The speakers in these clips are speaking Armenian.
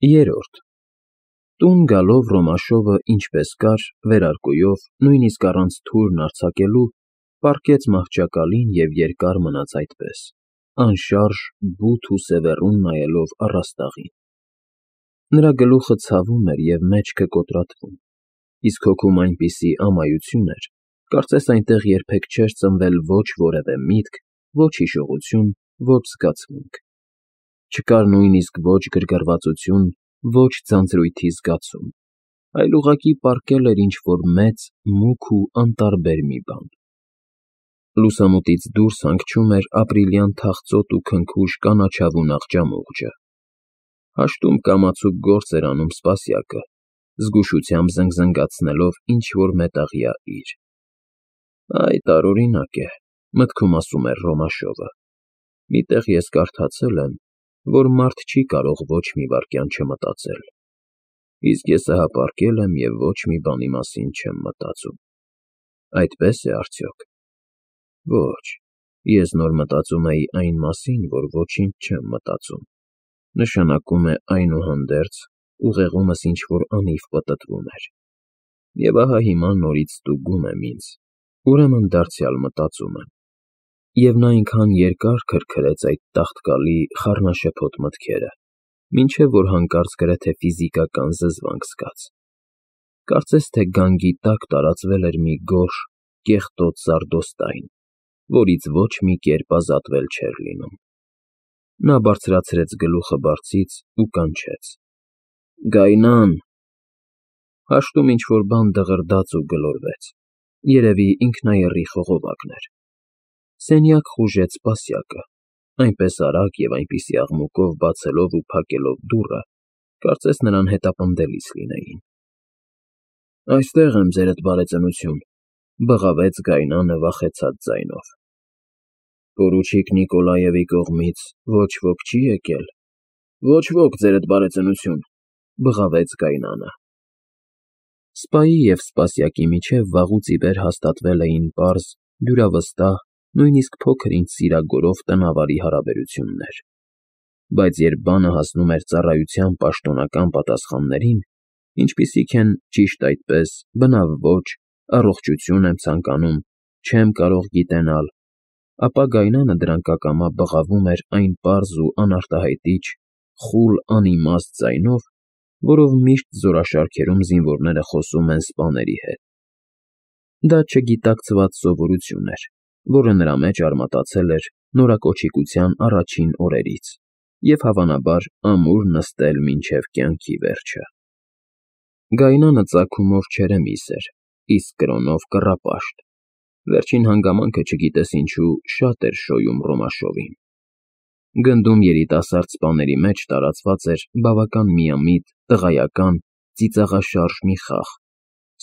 Երրորդ Տուն գալով Ռոմաշովը ինչպես կար, վերարկուով, նույնիսկ առանց թուրն արձակելու, պառկեց մահճակալին և երկար մնաց այդպես, անշարժ, բութ ու սևեռուն նայելով առաստաղին։ Նրա գլուխը ցավում էր և մեջքը կոտրատվում, իսկ հոգում այնպիսի ամայություն էր, կարծես այնտեղ երբեք չէր ծնվել ոչ որևէ միտք, ոչ հիշողություն, ոչ զգացմունք։ Չկար նույնիսկ ոչ գրգռվածություն, ոչ ձանձրույթի զգացում, այլ ուղղակի պառկել էր ինչ֊որ մեծ, մուգ ու անտարբեր մի բան։ Լուսամուտից դուրս հանգչում էր ապրիլյան թախծոտ ու քնքուշ կանաչավուն աղջամուղջը։ Հաշտում կամացուկ գործ էր անում Սպասյակը, զգուշությամբ զնգզնգացնելով ինչ֊որ մետաղյա իր։ Այ տարօրինակ է, մտքում ասում էր Ռոմաշովը։ Մի տեղ ես կարդացել եմ, որ մարդ չի կարող ոչ մի վայրկյան չմտածել, իսկ ես ահա պառկել եմ և ոչ մի բանի մասին չեմ մտածում։ Այդպե՞ս է արդյոք։ Ոչ, ես նոր մտածում էի այն մասին, որ ոչինչ չեմ մտածում, նշանակում է այնուհանդերձ, ուղեղումս ինչ֊որ անիվ պտտվում էր։ Եվ ահա հիմա նորից ստուգում եմ ինձ, ուրեմն դարձյալ մտածում եմ։ Եվ նա այնքան երկար քրքրեց այդ տաղտկալի, խառնաշփոթ մտքերը, մինչև որ հանկարծ գրեթե ֆիզիկական զզվանք զգաց։ Կարծես թե գանգի տակ տարածվել էր մի գորշ, կեղտոտ սարդոստայն, որից ոչ մի կերպ ազատվել չէր լինում։ Նա բարձրացրեց գլուխը բարձից ու կանչեց. «Գայնան»։ Հաշտում ինչ֊որ բան դղրդաց ու գլորվեց, երևի ինքնաեռի խողովակն էր։ Սենյակ խուժեց Սպասյակը, այնպես արագ և այնպիսի աղմուկով բացելով ու փակելով դուռը, կարծես նրան հետապնդելիս լինեին։ «Այստեղ եմ, ձերդ բարեծնություն», ֊ բղավեց Գայնանը վախեցած ձայնով։ «Պորուչիկ Նիկոլաևի կողմից ոչ ոք չի եկել»։ «Ոչ ոք, ձերդ բարեծնություն», ֊ բղավեց Գայնանը։ Սպայի և Սպասյակի միջև վաղուց ի վեր հաստատվել էին պարզ, դյուրավստահ, նույնիսկ փոքր-ինչ սիրագորով տնավարի հարաբերություններ։ Բայց երբ բանը հասնում էր ծառայության պաշտոնական պատասխաններին, ինչպիսիք են «ճիշտ այդպես», «բնավ ոչ», «առողջություն եմ ցանկանում», «չեմ կարող գիտենալ», ապա Գայնանը դրանք ակամա բղավում էր այն պարզ ու անարտահայտիչ, խուլ, անիմաստ ձայնով, որով միշտ զորաշարքերում զինվորները խոսում են սպաների հետ։ Դա չգիտակցված սովորություն էր, որը նրա մեջ արմատացել էր նորակոչիկության առաջին օրերից և, հավանաբար, ամուր նստել մինչև կյանքի վերջը։ Գայնանը ծագումով չերեմիս էր, իսկ կրոնով կռապաշտ։ Վերջին հանգամանքը, չգիտես ինչու, շատ էր շոյում Ռոմաշովին։ Գնդում երիտասարդ սպաների մեջ տարածված էր բավական միամիտ, տղայական, ծիծաղաշարժ մի խաղ՝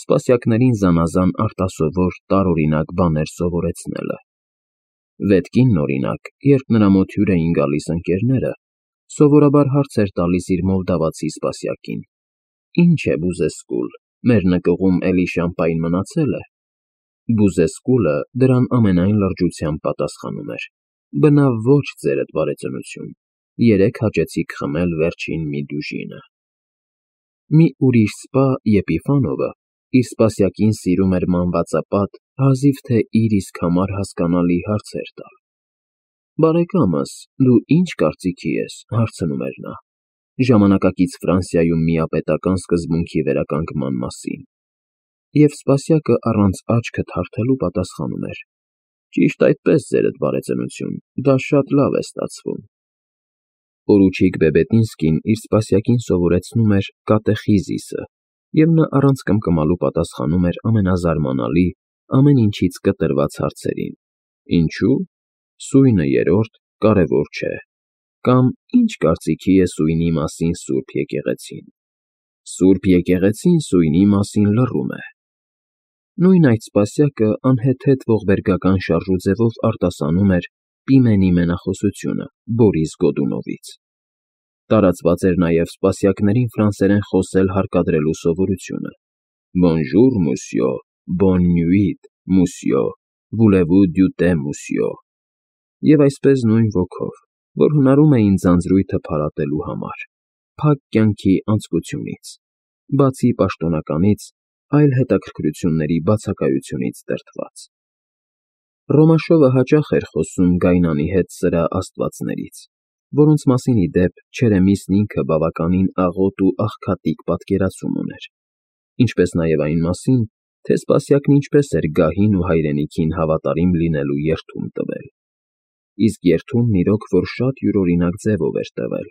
սպասյակներին զանազան արտասովոր, տարօրինակ բաներ սովորեցնելը։ Ետկինն, օրինակ, երբ նրա մոտ հյուր էին գալիս ընկերները, սովորաբար հարց էր տալիս իր մոլդավացի սպասյակին. «Ինչ է Բուզեսկուլ, մեր նկուղում էլի շամպայն մնացել է»։ Բուզեսկուլը դրան ամենայն լրջությամբ պատասխանում էր. «Բնավ ոչ, ձերդ բարեծնություն, երեկ հաճեցիք խմել վերջին մի դյուժինը»։ Մի ուրիշ սպա՝ Եփիֆանովը, իր սպասյակին սիրում էր մանվածապատ, հազիվ թե իր իսկ համար հասկանալի հարցեր տալ։ «Բարեկամս, դու ի՞նչ կարծիքի ես», ֊ հարցնում էր նա, «ժամանակակից Ֆրանսիայում միապետական սկզբունքի վերականգնման մասին»։ Եվ սպասյակը առանց աչքը թարթելու պատասխանում էր. «Ճիշտ այդպես, ձերդ բարեծնություն, դա շատ լավ է ստացվում»։ Պորուչիկ Բեբետինսկին իր սպասյակին սովորեցնում էր կատեխիզիսը, և նա առանց կմկմալու պատասխանում էր ամենազարմանալի, ամեն ինչից կտրված հարցերին. «Ինչո՞ւ»։ «Սույնը երրորդ, կարևոր չէ»։ Կամ «Ի՞նչ կարծիքի է սույնի մասին Սուրբ եկեղեցին»։ «Սուրբ եկեղեցին սույնի մասին լռում է»։ Նույն այդ սպասյակը անհեթեթ ողբերգական շարժուձևով արտասանում էր Պիմենի մենախոսությունը Բորիս Գոդունովից։ Տարածված էր նաև սպասյակներին ֆրանսերեն խոսել հարկադրելու սովորությունը. Bonjour, monsieur, bonne nuit, monsieur, voulez-vous du thé, monsieur։ Եվ այսպես նույն ոգով, որ հնարում էին ձանձրույթը փարատելու համար։ փակ կյանքի անձկությունից, բացի պաշտոնականից, այլ հետաքրքրությունների բացակայությունից դրդված։ Ռոմաշովը հաճախ էր խոսում Գայնանի հետ սրա աստվածներից, որոնց մասին ի դեպ Չերեմիսն ինքը բավականին աղոտ ու աղքատիկ պատկերացում ուներ, ինչպես նաև այն մասին, թե Սպասյակն ինչպես էր գահին ու հայրենիքին հավատարիմ լինելու երդում տվել, իսկ երդումն իրոք որ շատ յուրօրինակ ձևով էր տվել։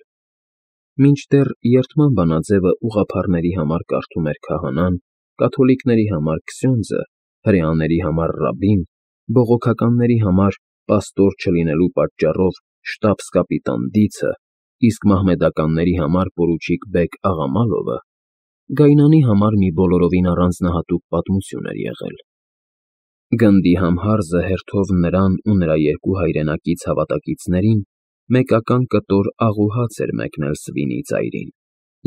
Մինչդեռ երդման բանաձևը ուղղափառների համար կարդում էր քահանան, կաթոլիկների համար քսյոնդզը, հրեաների համար ռաբբին, բողոքականների համար պաստոր չլինելու պատճառով շտաբս֊կապիտան Դիցը, իսկ մահմեդականների համար պորուչիկ բեգ Աղամալովը, Գայնանի համար մի բոլորովին առանձնահատուկ պատմություն էր եղել։ Գնդի համհարզը հերթով նրան ու նրա երկու հայրենակից հավատակիցներին մեկական կտոր աղ ու հաց էր մեկնել Սվինի ծայրին,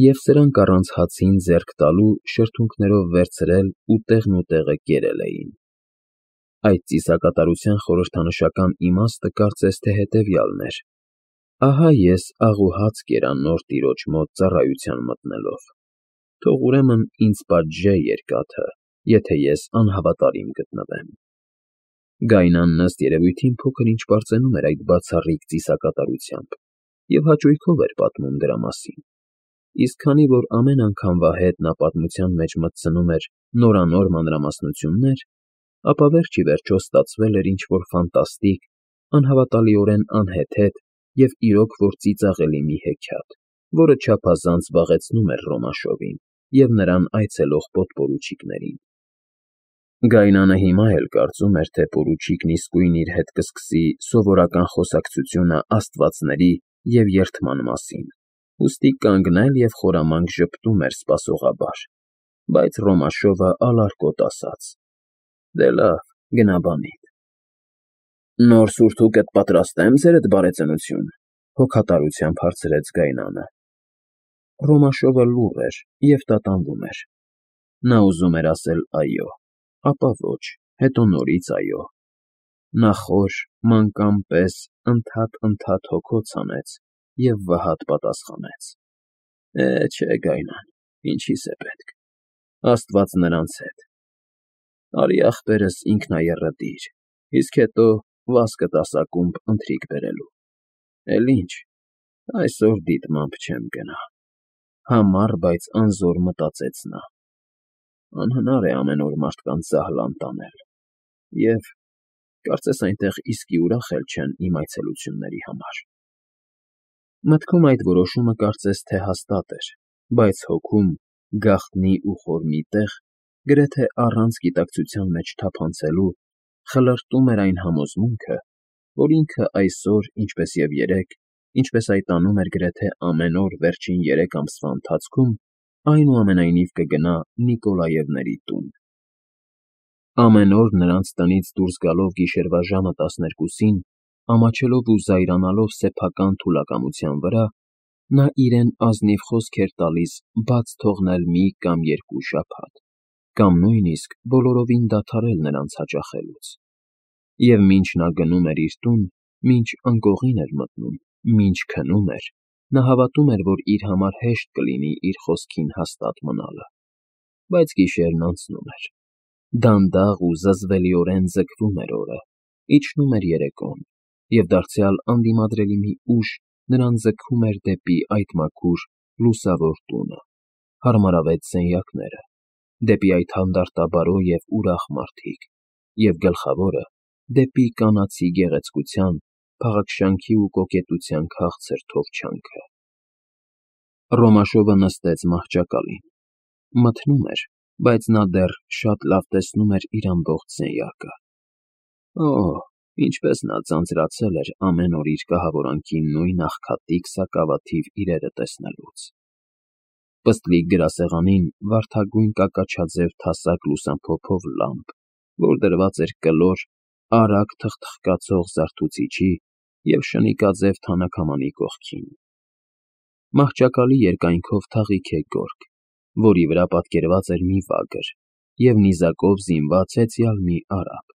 և սրանք առանց հացին ձեռք տալու շրթունքներով վերցրել ու տեղնուտեղը կերել էին։ Այդ ծիսակատարության խորհրդանշական իմաստը կարծես թե հետևյալն էր. ահա ես աղ ու հաց կերա նոր տիրոջ մոտ ծառայության մտնելով, թող ուրեմն ինձ պատժե երկաթը, եթե ես անհավատարիմ գտնվեմ։ Գայնանն ըստ երևույթին փոքր-ինչ պարծենում էր այդ բացառիկ ծիսակատարությամբ և հաճույքով էր պատմում դրա մասին, իսկ քանի որ ամեն անգամվա հետ նա պատմության մեջ մտցնում էր նորանոր մանրամասնություններ, ապա վերջ ի վերջո ստացվել էր ինչ-որ ֆանտաստիկ, անհավատալիորեն անհեթեթ և իրոք որ ծիծաղելի մի հեքիաթ, որը չափազանց զբաղեցնում էր Ռոմաշովին և նրան այցելող պոդպորուչիկներին։ Գայնանը հիմա էլ կարծում էր, թե պորուչիկն իսկույն իր հետ կսկսի սովորական խոսակցությունը աստվածների և երդման մասին, ուստի կանգնել և խորամանկ ժպտում էր սպասողաբար, բայց Ռոմաշովը ալարկոտ ասաց. «Դե լավ, գնա բանիդ»։ «Նոր սուրթուկդ պատրաստե՞մ, ձերդ բարեծնություն», հոգատարությամբ հարցրեց Գայնանը։ Ռոմաշովը լուռ էր և տատանվում էր։ Նա ուզում էր ասել այո, ապա ոչ, հետո նորից այո։ Նա խոր, մանկան պես ընդհատ հոգոց հանեց և վհատ պատասխանեց. չէ, Գայնան, ինչի՞ս է պետք, Աստված նրանց հետ։ Արի ախպերս ինքնաեռըդիր, իսկ հետո վազքը տաս ակումբ ընթրիք բերելու։ Էլ ինչ, այսօր դիտմամբ չեմ գնա։ Համառ, բայց անզոր մտածեց նա։ Անհնար է ամեն օր մարդկանց զահլան տանել, և կարծես այնտեղ իսկի ուրախ էլ չեն իմ այցելությունների համար։ Մտքում այդ որոշումը կարծես թե հաստատ էր, բայց հոգում, գաղտնի ու խոր մի տեղ, գրեթե առանց գիտակցության մեջ թափանցելու, խլրտում էր այն համոզմունքը, որ ինքը այսօր, ինչպես և երեկ, ինչպես այդ անում էր գրեթե ամեն օր վերջին 3 ամսվա ընթացքում, այնուամենայնիվ կգնա Նիկոլաևների տուն։ Ամեն օր նրանց տնից դուրս գալով գիշերվա ժամը 12-ին, ամաչելով ու զայրանալով սեփական թուլակամության վրա, նա իրեն ազնիվ խոսք էր տալիս բաց թողնել մի կամ 2 շաբաթ, կամ նույնիսկ բոլորովին դադարել նրանց հաճախելուց։ Եվ մինչ նա գնում էր իր տուն, մինչ անկողին էր մտնում, մինչ քնում էր, նա հավատում էր, որ իր համար հեշտ կլինի իր խոսքին հաստատ մնալը։ Բայց գիշերն անցնում էր։ Դանդաղ ու զզվելիորեն ձգվում էր օրը, իջնում էր երեկոն, և դարձյալ անդիմադրելի մի ուժ նրան ձգում էր դեպի այդ մաքուր, լուսավոր տունը, հարմարավետ սենյակները, դեպի այդ հանդարտաբարո և ուրախ մարդիկ, և գլխավորը, դեպի կանացի գեղեցկության, փաղաքշանքի ու կոկետության քաղցր թովչյանքը։ Ռոմաշովը նստեց մահճակալին։ Մթնում էր, բայց նա դեռ շատ լավ տեսնում էր իր ամբողջ սենյակը։ Օհ, ինչպես նա ձանձրացել էր ամեն օր իր կահավորանքի նույն աղքատիկ սակավաթիվ իրերը տեսնելուց։ Պստլիկ գրասեղանին վարդագույն կակաչաձև թասակ լուսամփոփով լամպ, որ դրված էր կլոր, արագ թխթխկացող զարթուցիչի և շնիկաձև թանաքամանի կողքին։ Մահճակալի երկայնքով թաղիք է գորգ, որի վրա պատկերված էր մի վագր և նիզակով զինված հեծյալ մի արաբ։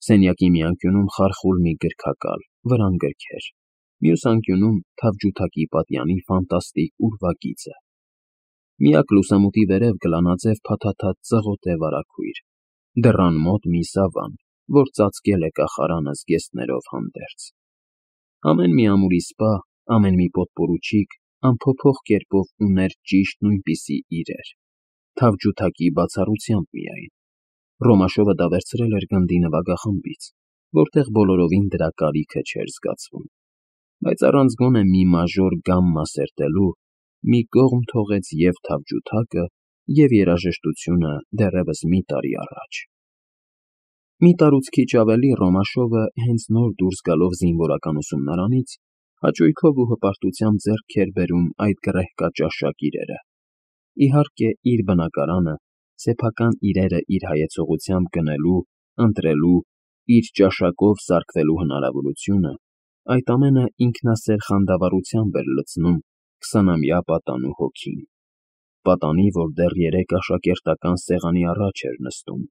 Սենյակի մի անկյունում խարխուլ մի գրքակալ, վրան գրքեր, մյուս անկյունում թավջութակի պատյանի ֆանտաստիկ ուրվագիծը։ Միակ լուսամուտի վերև գլանաձև փաթաթած ծղոտ է վարագույր, դռան մոտ մի սավան, որ ծածկել է կախարանը զգեստներով հանդերձ։ Ամեն մի ամուրի սպա, ամեն մի պոտպորուչիկ անփոփոխ կերպով ուներ ճիշտ նույնպիսի իրեր, թավջութակի բացառությամբ միայն։ Ռոմաշովը դա վերցրել էր գնդի նվագախմբից, որտեղ բոլորովին դրա կարիքը չէր զգացվում, բայց առանց գոնե մի մաժոր գամմա սերտելու մի կողմ թողեց և թավջութակը, և երաժշտությունը դեռևս մի տարի առաջ։ Մի տարուց քիչ ավելի Ռոմաշովը հենց նոր դուրս գալով զինվորական ուսումնարանից հաճույքով ու հպարտությամբ ձեռք էր բերում այդ գռեհկաճաշակ իրերը։ Իհարկե, իր բնակարանը, սեփական իրերը իր հայեցողությամբ գնելու, ընտրելու, իր ճաշակով սարքվելու հնարավորությունը, այդ ամենը ինքնասեր խանդավառությամբ էր լցնում 20-ամյա պատանու հոգին, պատանի, որ դեռ 3 աշակերտական սեղանի առաջ էր նստում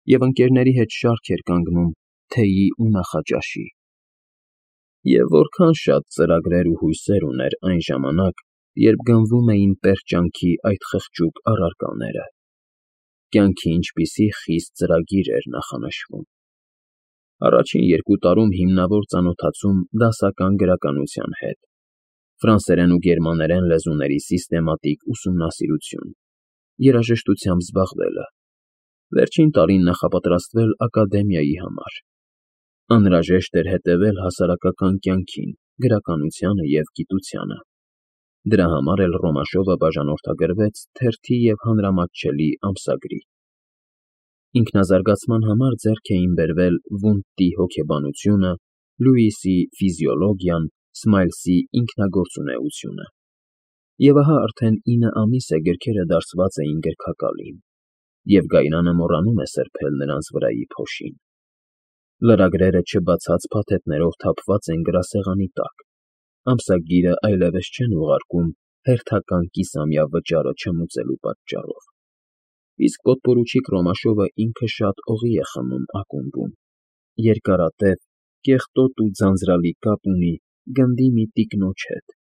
և ընկերների հետ շարք էր կանգնում թեյի ու նախաճաշի։ Եվ որքան շատ ծրագրեր ու հույսեր ուներ այն ժամանակ, երբ գնվում էին պերճանքի այդ խղճուկ առարկաները։ Կյանքի ինչպիսի խիստ ծրագիր էր նախանշվում։ Առաջին 2 տարում հիմնավոր ծանոթացում դասական գրականության հետ, ֆրանսերեն ու գերմաներեն լեզուների սիստեմատիկ ուսումնասիրություն, երաժշտությամբ զբաղվելը, վերջին տարին նախապատրաստվել ակադեմիայի համար։ Անհրաժեշտ էր հետևել հասարակական կյանքին, գրականությանը և գիտությանը։ Դրա համար էլ Ռոմաշովը բաժանորդագրվեց թերթի և հանրամատչելի ամսագրի։ Ինքնազարգացման համար ձեռք էին բերվել Վունդտի հոգեբանությունը, Լյուիսի ֆիզիոլոգիան, Սմայլսի ինքնագործունեությունը։ Եվ ահա արդեն 9 ամիս է գրքերը դասված էին գրքակալին, և Գայրանը մոռանում է սրբել նրանց վրայի փոշին։ Լրագրերը չբացած փաթեթներով թափված են գրասեղանի տակ, ամսագիրը այլևս չեն ուղարկում հերթական կիսամյա վճարը չմուծելու պատճառով։ Իսկ պոտպորուչիկ Ռոմաշովը ինքը շատ օղի է խմում ակումբում, երկարատև, կեղտոտ ու ձանձրալի կապ ունի գնդի մի տիկնոջ հետ,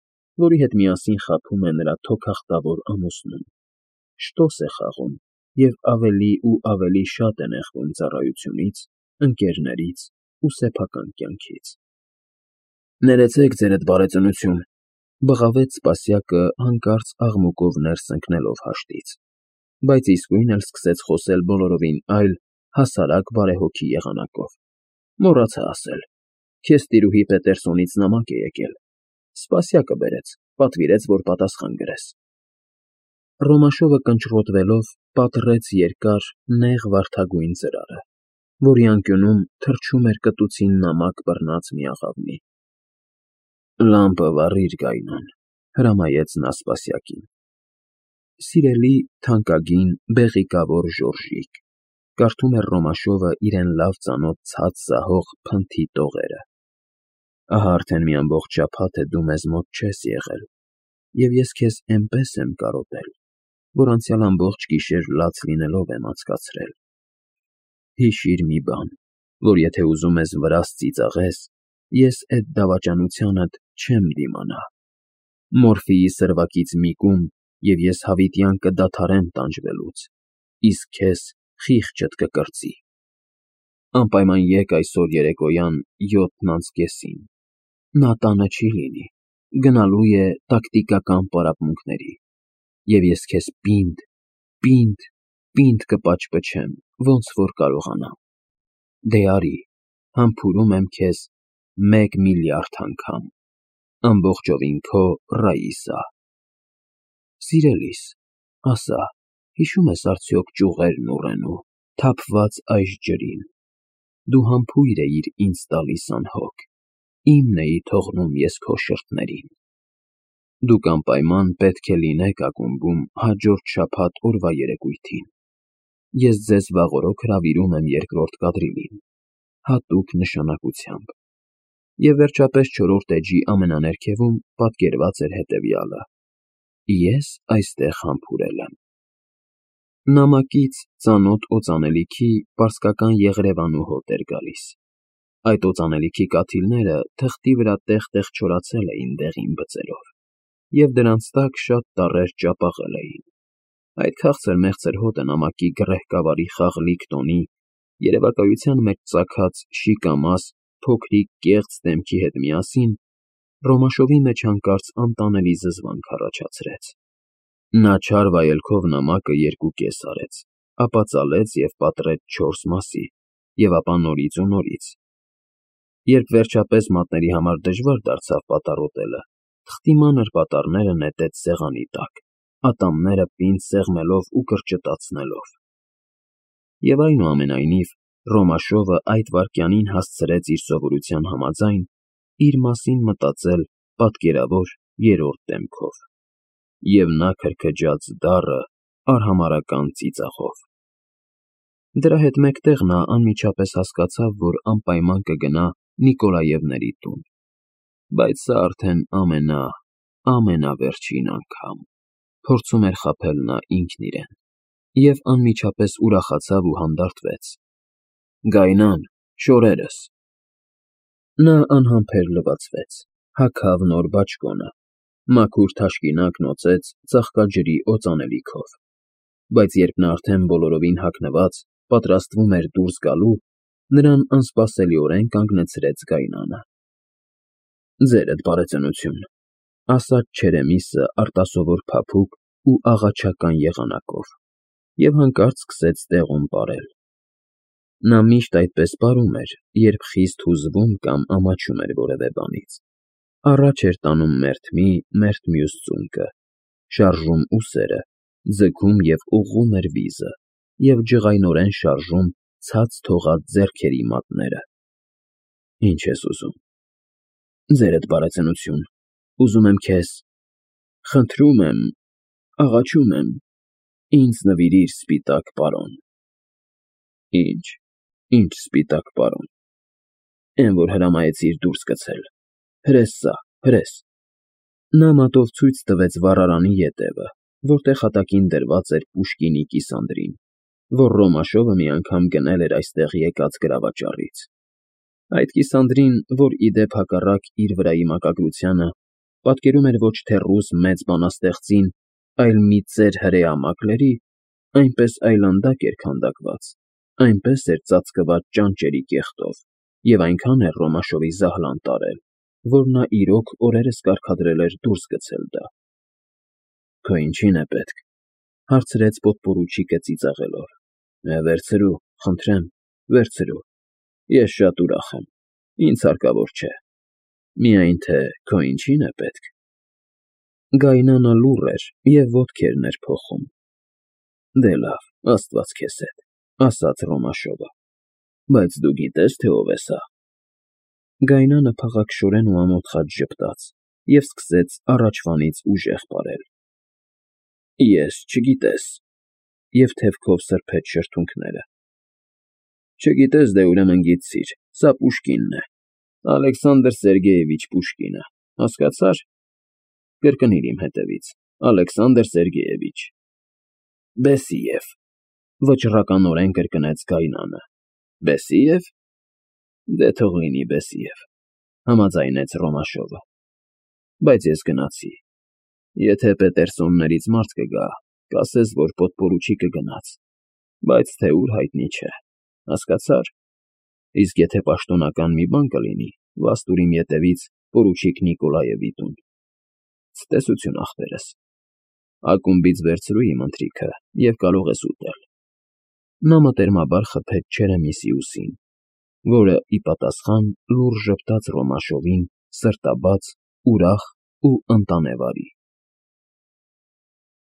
որի հետ միասին խաբում է նրա թոքախտավոր ամուսնուն, շտոս է խաղում և ավելի ու ավելի շատ է նեղվում ծառայությունից, ընկերներից ու սեփական կյանքից։ Ներեցեք, ձերդ բարեծնություն, բղավեց Սպասյակը հանկարծ աղմուկով ներս ընկնելով հաշտից, բայց իսկույն էլ սկսեց խոսել բոլորովին այլ, հասարակ բարեհոգի եղանակով։ Մոռացա ասել, քեզ տիրուհի Պետերսոնից նամակ է եկել, Սպասյակը բերեց, պատվիրեց, որ պատասխան գրես։ Ռոմաշովը կնճռոտվելով պատռեց երկար, նեղ վարդագույն ծրարը, որի անկյունում թռչում էր կտուցին նամակ բռնած մի աղավնի։ «Լամպը վառիր, Գայնան», հրամայեց նա Սպասյակին։ «Սիրելի, թանկագին, բեղիկավոր Ժորժիկ», կարդում էր Ռոմաշովը իրեն լավ ծանոթ ցած զահող փնթի տողերը։ «Ահա արդեն մի ամբողջ շաբաթ է դու մեզ մոտ չես եղել, և ես քեզ էնպես եմ կարոտել, որ անցյալ ամբողջ գիշեր լաց լինելով եմ անցկացրել։ Հիշիր մի բան, որ եթե ուզում ես վրաս ծիծաղես, ես էդ դավաճանությանդ չեմ դիմանա։ Մորֆիի սրվակից մի կում, և ես հավիտյան կդադարեմ տանջվելուց, իսկ քեզ խիղճդ կկրծի։ Անպայման եկ այսօր երեկոյան 7:30-ին, նա տանը չի լինի, գնալու է տակտիկական պարապմունքների, և ես քեզ պինդ կպաճպճեմ, ոնց որ կարողանամ։ Դե արի, համբուրում եմ քեզ 1 միլիարդ անգամ։ Ամբողջովին քո Ռաիսա։ Սիրելիս, ասա, հիշո՞ւմ ես արդյոք ճյուղերն ուռենու, թափված այժ ջրին։ Դու համբույր էիր ինձ տալիս անհոգ, իմն էի թողնում ես քո շրթներին։ Դուք անպայման պետք է լինեք ակումբում հաջորդ շաբաթ օրվա երեկույթին։ Ես ձեզ վաղօրոք հրավիրում եմ 2-րդ կադրիլին, հատուկ նշանակությամբ։ Եվ վերջապես 4-րդ էջի ամենաներքևում պատկերված էր հետևյալը. ես այստեղ համբուրել եմ։ Նամակից ծանոթ օծանելիքի պարսկական Եղրևանու հոտ էր գալիս։ Այդ օծանելիքի կաթիլները թղթի վրա տեղ-տեղ չորացել էին դեղին բծերով, և դրանց տակ շատ տառեր ճապաղել էին։ Այդ քաղցր-մեղցր հոտը նամակի գռեհկավարի խաղլիկ տոնի, երևակայության մեջ ծագած շիկամաս, փոքրիկ կեղծ դեմքի հետ միասին Ռոմաշովի մեջ հանկարծ անտանելի զզվանք առաջացրեց։ Նա չար վայելքով նամակը երկու կես արեց, ապա ծալեց և պատռեց 4 մասի, և ապա նորից ու նորից։ Երբ վերջապես մատների համար դժվար դարձավ պատառոտելը, թղթի մանր պատառները նետեց սեղանի տակ, ատամները պինդ սեղմելով ու կրճտացնելով։ Եվ այնուամենայնիվ, Ռոմաշովը այդ վայրկյանին հասցրեց իր սովորության համաձայն իր մասին մտածել պատկերավոր երրորդ դեմքով, և նա քրքջաց դառը արհամարհական ծիծաղով։ Դրա հետ մեկտեղ նա անմիջապես հասկացավ, որ անպայման կգնա Նիկոլաևների տուն, բայց սա արդեն ամենավերջին անգամ, փորձում էր խաբել նա ինքն իրեն, և անմիջապես ուրախացավ ու հանդարտվեց. «Գայնան, շորերս»։ Նա անհամբեր լվացվեց, հագավ նոր բաճկոնը, մաքուր թաշկինակ նոծեց ծաղկաջրի օծանելիքով, բայց երբ նա արդեն բոլորովին հագնված պատրաստվում էր դուրս գալու, նրան անսպասելիորեն կանգնեցրեց Գայնանը։ «Ձերդ բարեծնություն», ֊ ասաց Չերեմիսը արտասովոր փափուկ ու աղաչական եղանակով և հանկարծ սկսեց տեղում պարել։ Նա միշտ այդպես պարում էր, երբ խիստ հուզվում կամ ամաչում էր որևէ բանից։ Առաջ էր տանում մերթ մի, մերթ մյուս ծունկը, շարժում ուսերը, ձգում և ուղղում էր վիզը և ջղայնորեն շարժում ցած թողած ձեռքերի մատները։ «Ինչ ես ուզում»։ «Ձերդ բարեծնություն, ուզում եմ քեզ… Խնդրում եմ, աղաչում եմ, ինձ նվիրիր սպիտակ պարոն»։ Ինչ սպիտակ պարոն։ Էն, որ հրամայեցիր դուրս գցել։ Հրես սա, հրես։ Նա մատով ցույց տվեց վառարանի ետևը, որտեղ հատակին դրված էր Պուշկինի կիսանդրին, որ Ռոմաշովը մի անգամ գնել էր այստեղ եկած գրավաճառից։ Այդ կիսանդրին, որ, ի դեպ, հակառակ իր վրայի մակագրությանը, պատկերում էր ոչ թե ռուս մեծ բանաստեղծին, այլ մի ծեր հրեա մակլերի, այնպես այլանդակ էր քանդակված, այնպես էր ծածկված ճանճերի կեղտով և այնքան էր Ռոմաշովի զահլան տարել, որ նա իրոք օրերս կարգադրել էր դուրս գցել դա։ «Քո ինչի՞ն է պետք», ֊ հարցրեց պոդպորուչիկը ծիծաղելով։ Վերցրու, խնդրեմ, վերցրու, ես շատ ուրախ եմ, ինձ հարկավոր չէ, միայն թե քո ինչի՞ն է պետք»։ Գայնանը լուռ էր և ոտքերն էր փոխում։ «Դե լավ, աստված քեզ հետ», ֊ ասաց Ռոմաշովը, բայց դու գիտե՞ս, թե ով է սա։ Գայնանը փաղաքշորեն ու ամոթխած ժպտաց և սկսեց առաջվանից ուժեղ պարել։ «Ես… չգիտես…» և թևքով սրբեց շրթունքները։ «Չգիտես, դե ուրեմն գիտցիր, սա Պուշկինն է, Ալեքսանդր Սերգեյևիչ Պուշկինը, հասկացա՞ր։ Կրկնիր իմ հետևից. Ալեքսանդր Սերգեյևիչ»։ «Բեսիև», ֊ վճռականորեն կրկնեց Գայնանը։ «Բեսիև։ Դե թող լինի Բեսիև», ֊ համաձայնեց Ռոմաշովը։ «Բայց ես գնացի։ Եթե Պետերսոններից մարդ կգա, կասես, որ պոդպորուչիկը գնաց, բայց թե ուր հայտնի չէ, հասկացա՞ր։ Իսկ եթե պաշտոնական մի բան կլինի, վաստ ուր իմ ետևից պորուչիկ Նիկոլաևի տուն։ Ցտեսություն, ախպերս։ Ակումբից վերցրու իմ ընթրիքը և կարող ես ուտել»։ Նա մտերմաբար խփեց Չերեմիսի ուսին, որը, ի պատասխան, լուրջ ժպտաց Ռոմաշովին սրտաբաց, ուրախ ու ընտանեվարի։